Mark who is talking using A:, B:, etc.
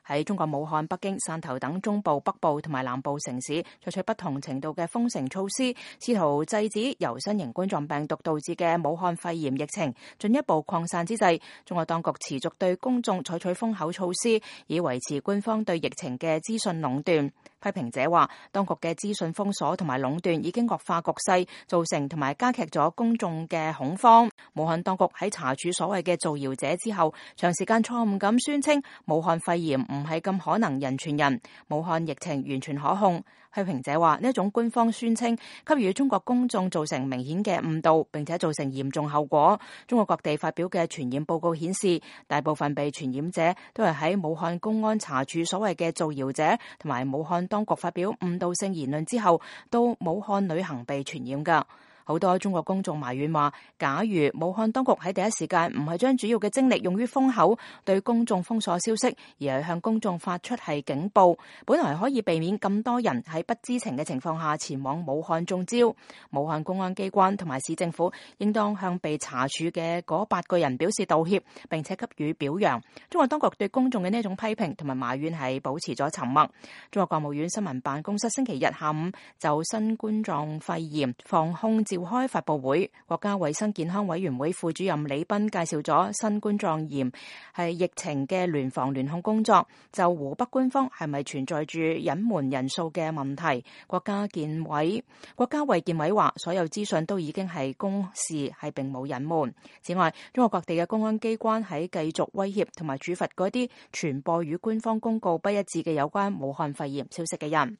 A: 喺中國武漢、北京、汕頭等中部、北部同埋南部城市採取不同程度嘅封城措施，試圖制止由新型冠狀病毒導致嘅武漢肺炎疫情進一步擴散之際，中國當局持續對公眾採取封口措施，以維持官方對疫情嘅資訊壟斷。批評者話，當局嘅資訊封鎖同埋壟斷已經惡化局勢，造成同埋加劇咗公眾嘅恐慌。武漢當局喺查處所謂嘅造謠者之後，長時間錯誤咁宣稱武漢肺炎唔係咁可能人傳人，武漢疫情完全可控。批評者話，呢一種官方宣稱給予中國公眾造成明顯嘅誤導，並且造成嚴重後果。中國各地發表嘅傳染報告顯示，大部分被傳染者都係喺武漢公安查處所謂嘅造謠者同埋武漢當局發表誤導性言論之後，到武漢旅行被傳染㗎。好多中國公眾埋怨話，假如武漢當局喺第一時間唔係將主要嘅精力用於封口，對公眾封鎖消息，而係向公眾發出係警報，本來可以避免咁多人喺不知情嘅情況下前往武漢中招。武漢公安機關同埋市政府應當向被查處嘅嗰8個人表示道歉，並且給予表揚。中國當局對公眾嘅呢一種批評同埋埋怨係保持咗沉默。中國國務院新聞辦公室星期日下午就新冠狀肺炎防控召開發佈會，國家衛生健康委員會副主任李斌介紹咗新冠狀炎係疫情嘅聯防聯控工作。就湖北官方係咪存在住隱瞞人數嘅問題，國家衛健委話，所有資訊都已經係公示，係並冇隱瞞。此外，中國各地嘅公安機關喺繼續威脅同埋處罰嗰啲傳播與官方公告不一致嘅有關武漢肺炎消息嘅人。